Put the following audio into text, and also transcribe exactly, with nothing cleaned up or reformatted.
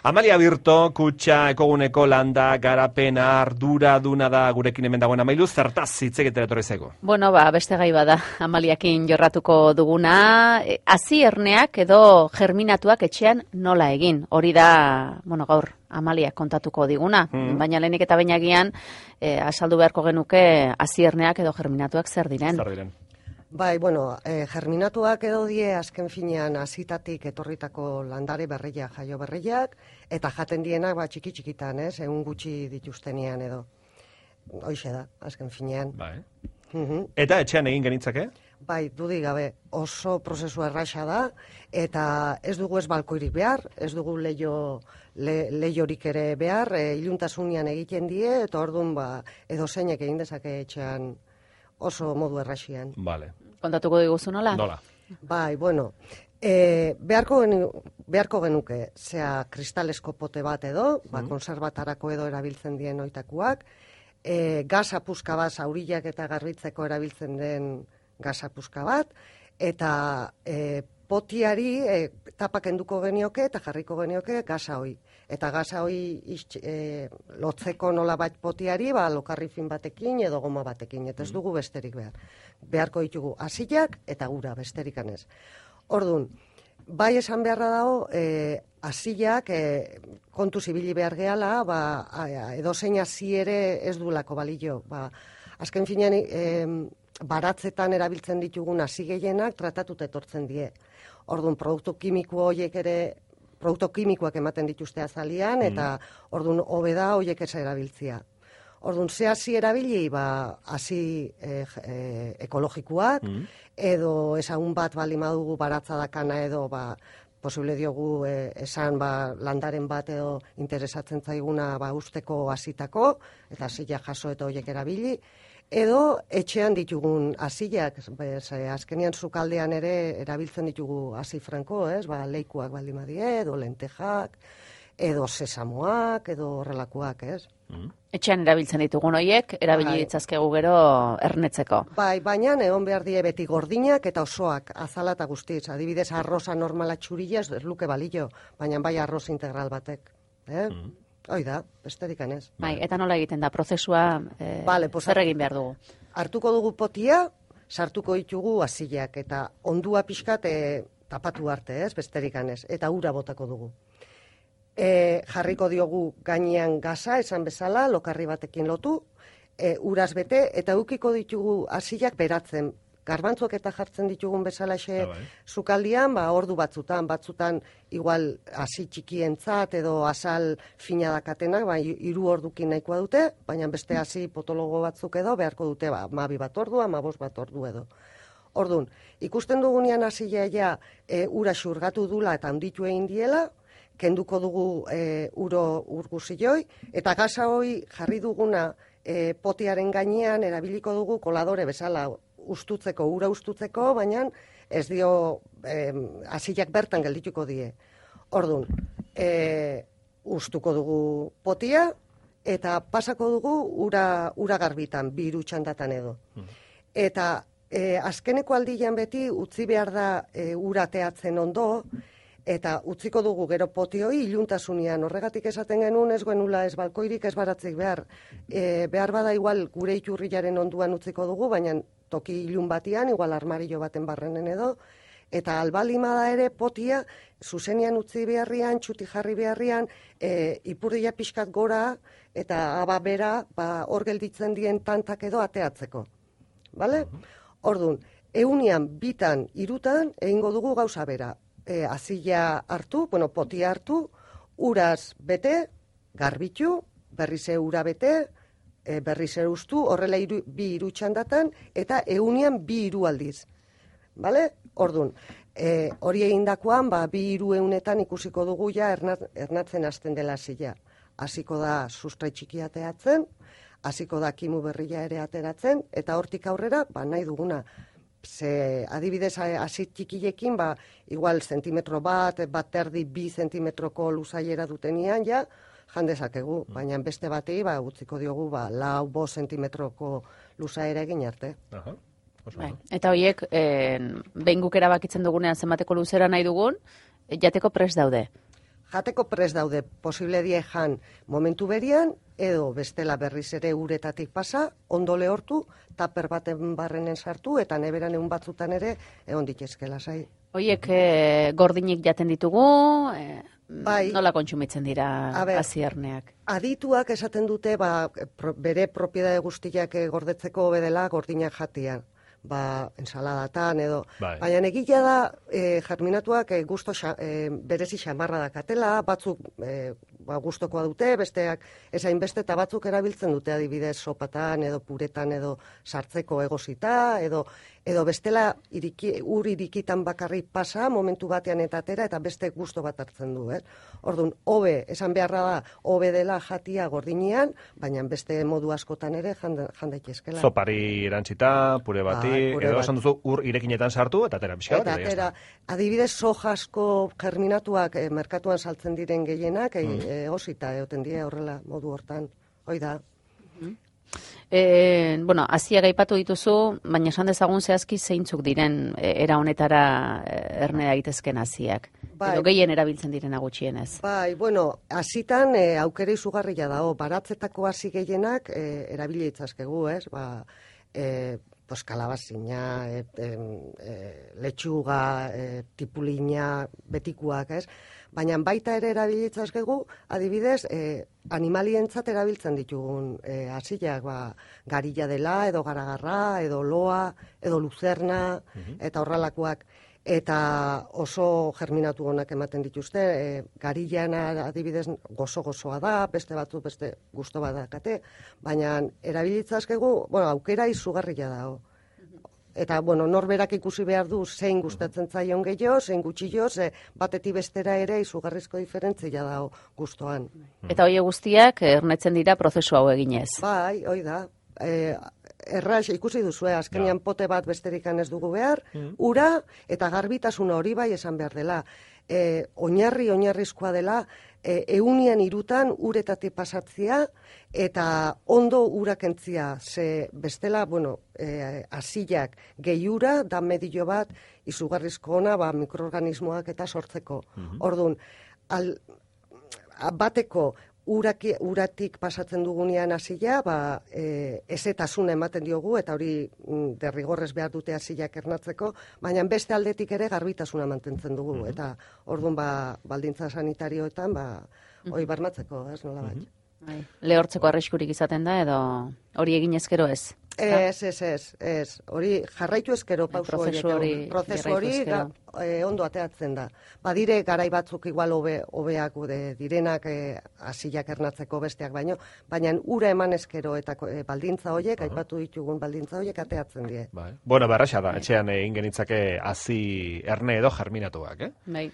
Amalia Birto, kutxa, ekoguneko landa, garapena, ardura duna da gurekin hemen dagoen Amailu, zertaz hitz egitera etorri zaigu? Bueno, ba, beste gai bada, Amaliakin jorratuko duguna, hasi erneak edo germinatuak etxean nola egin, hori da, bueno, gaur, Amaliak kontatuko diguna, mm. baina lehenik eta bainagian, eh, asaldu beharko genuke hasi erneak edo germinatuak zer diren. Zer diren. Bai, bueno, eh, germinatuak edo die azken finean hasitatik etorritako landare berriak, jaio berriak, eta jaten dienak ba, txiki txikitan, ez, egun gutxi dituztenean edo. Hoixe da, azken finean. Bai. Mhm. Eta etxean egin genitzake? Bai, dudik gabe, oso prozesu erraxa da, eta ez dugu ez balkoirik behar, ez dugu leio, le, leiorik ere behar, e, iluntasunean egiten die, eta orduan ba, edo zeinek egin dezake etxean oso modu erraxian. Vale. Kontatuko diguzu nola? Nola? Bai, bueno, e, beharko, genu, beharko genuke, zea kristalesko pote bat edo, ba, Mm. konserbatarako edo erabiltzen dien oitakuak, e, gasa puska bat, zaurillak eta garbitzeko erabiltzen den gasa puska bat, eta e, potiari e, tapak enduko genioke eta jarriko genioke gasa hoi. Eta gasa hoi iztx, e, lotzeko nola bat potiari, ba, lokarri fin batekin edo goma batekin, eta ez dugu besterik behar. Beharko ditugu hasiak eta gura, besterik anez. Orduan, bai esan beharra dago, e, hasiak e, kontu zibili behar gehala, ba, edozein hasi ere ez duelako balio. Ba, azken finean, e, baratzetan erabiltzen ditugun hasi gehienak tratatuta etortzen die. Orduan, produktu kimiko horiek ere, produktu kimikoak ematen dituzte azalian, eta orduan hobe da horiek ez erabiltzia. Orduan, ze hasi erabili, ba, hasi e, e, ekologikoak, mm. edo ezagun bat bali madugu baratzadakana edo, ba, posible diogu e, esan ba, landaren bat edo interesatzen zaiguna ba, usteko hasitako, eta hasiak jaso eta horiek erabili, edo etxean ditugun hasiak, azkenean sukaldean ere erabiltzen ditugu hasi franko, ez? Ba, leikuak baldin badie, edo lentejak, edo sesamoak, edo horrelakoak, ez? Mm. Etxean erabiltzen ditugun horiek, erabili ditzazkegu gero ernetzeko. Bai, baina egon behar die beti gordinak eta osoak, azala eta guztiz. Adibidez, arroza normala txurila ez luke balio, baina bai arroz integral batek. Eh? Mm. Hoi da, besterik anez. Bai, eta nola egiten da, prozesua eh, vale, pues, zer egin behar dugu? Hartuko dugu potia, sartuko ditugu hasiak eta ondua pixkat e, tapatu arte, ez, besterik anez, eta ura botako dugu. E, jarriko diogu gainean gaza, esan bezala, lokarri batekin lotu, e, uraz bete, eta ukiko ditugu hasiak beratzen. Garbantzok eta jartzen ditugun bezalaxe ah, bai. Sukaldian, ba, ordu batzutan, batzutan igual hasi txikientzat edo azal fina dakatenak, ba, hiru ordukin nahikoa dute, baina beste hasi potologo batzuk edo beharko dute, ba, mabi bat ordu, amabost bat ordu edo. Ordun, ikusten dugunean hasia ja e, ura xurgatu dula eta handitu egin diela, kenduko dugu e, uro urguzioi, eta gasa hoi jarri duguna e, potiaren gainean erabiliko dugu koladore bezala, ustutzeko, ura ustutzeko, baina ez dio eh, hasiak bertan geldituko die. Orduan, eh, ustuko dugu potia, eta pasako dugu ura, ura garbitan, bi hiru txandatan edo. Hmm. Eta eh, azkeneko aldian beti utzi behar da eh, ura teatzen ondo, eta utziko dugu gero potioi iluntasunean. Horregatik esaten genuen ez genuela ez balkoirik ez baratzik behar. E, behar bada igual gure iturriaren onduan utziko dugu, baina toki ilun batian, igual armario baten barrenen edo, eta albalimada ere potia, zuzenian utzi beharrian, txuti jarri beharrian, e, ipurdia pixkat gora, eta aba bera, ba, hor gelditzen dien tantak edo ateatzeko. Bale? Orduan, eunian, bitan, irutan, egingo dugu gauza bera. E, azila hartu, bueno, potia hartu, uraz bete, garbitu, berrize ura bete, E, berriz ere ustu, horrela iru, bi hiru txandatan, eta eunian bi hiru aldiz. Bale? Orduan, e, hori egindakoan, ba, bi hiru eunetan ikusiko dugu ja ernat, ernatzen hasten dela zila. Hasiko da sustrai txikia ateatzen, hasiko da kimu berria ere ateratzen, eta hortik aurrera, ba, nahi duguna. Ze, adibidez, hasi txikilekin, ba, igual zentimetro bat, bat erdi bi zentimetroko luzaiera dutenian, ja, jandezakegu, baina beste batei ba, utziko diogu ba, lau bo zentimetroko luzaera egin arte. Aha, bai. Eta horiek, eh, behin guk erabakitzen dugunean zenbateko luzera nahi dugun, jateko prest daude. jateko prest daude, posible die jan momentu berian, edo bestela berriz ere uretatik pasa, ondo lehortu, taper baten barrenen sartu, eta neberan egun batzutan ere, egon ditezke lasai. Hoiek e, gordinik jaten ditugu, e, Bai. nola kontsumitzen dira A ber, hazierneak? Adituak esaten dute, ba, pro, bere propiedade guztiak eh, gordetzeko bedela gordinak jatia. Ba, ensaladatan edo. Bai. Baina egila da, e, germinatuak e, gusto xa, e, berezi xamarra dakatela, batzuk e, ba, gustokoa dute, besteak esain beste, eta batzuk erabiltzen dute adibidez sopatan edo puretan edo sartzeko egosita, edo edo bestela iriki, ur irikitan bakarri pasa, momentu batean eta atera, eta beste gusto bat hartzen du, eh? Orduan, hobe, esan beharra da, hobe dela jatia gordinean, baina beste modu askotan ere jandaitezkela. Zopari erantzita, pure bati, Bai, pure edo bat. esan duzu ur irekinetan sartu, eta atera pixka bat, Eta eta atera, adibidez, sojasko germinatuak eh, merkatuan saltzen diren gehienak, eh, Mm. egosita egoten die horrela modu hortan. Hoi da. E, bueno, haziak aipatu dituzu, baina esan dezagun zehazki zeintzuk diren e, era honetara e, ernea egitezken haziak. Bai. Edo gehien erabiltzen direna gutxienez. Bai, bueno, hasitan e, aukera izugarria dago, baratzetako hasi gehienak e, erabili itzazkegu, ez? Ba, e, pues kalabazina, e, e, e, letxuga, e, tipulina, betikuak, ez? Baina baita ere erabilitzazkegu, adibidez, e, animalientzat erabiltzen ditugun e, hasiak, ba, garilla dela, edo garagarra, edo loa, edo luzerna, eta horrelakoak. Eta oso germinatu honak ematen dituzte, e, garillana adibidez gozo-gozoa da, beste batzu beste gusto bat dakate, baina erabilitzazkegu, bueno, aukera izugarria dago. Eta, bueno, norberak ikusi behar du zein gustatzen zaion gehiago, zein gutxio, ze batetik bestera ere izugarrizko diferentzia dago gustoan. Eta hoi guztiak ernetzen dira prozesu hau eginez. Bai, hoi da. E, erraz, ikusi duzu, azkenean pote bat besterikan ez dugu behar, ura eta garbitasuna hori bai esan behar dela. E, oinarri, oinarrizkoa dela, e, eunian irutan uretatik pasatzia eta ondo urakentzia, ze bestela, bueno, e, asilak gehiura da medio bat izugarrizko ona ba, mikroorganismoak eta sortzeko. Orduan, al, bateko uraki, uratik pasatzen dugunean hasila, ba, e, ezetasuna ematen diogu, eta hori mm, derrigorrez behar dute hasilak ernatzeko, baina beste aldetik ere garbitasuna mantentzen dugu, Mhm. eta orduan ba, baldintza sanitarioetan, ba, hori barmatzeko, ez nola bai. Bai. Lehortzeko arriskurik izaten da, edo hori egin ezkero ez. Ez, ez, ez, ez. Hori jarraitu ezkero pauso prozesu horiek, hori prozesu jarraitu hori ezkero. ga- e, ondo ateatzen da. Badire garai batzuk igual hobe hobeak de direnak e, hasilak ernatzeko besteak baino, baina ura eman ezkero eta ko- e, baldintza horiek, aipatu ditugun baldintza horiek ateatzen die. Bai. Bueno, berraxa da, etxean egin genitzake hazi erne edo germinatuak, eh? Bai.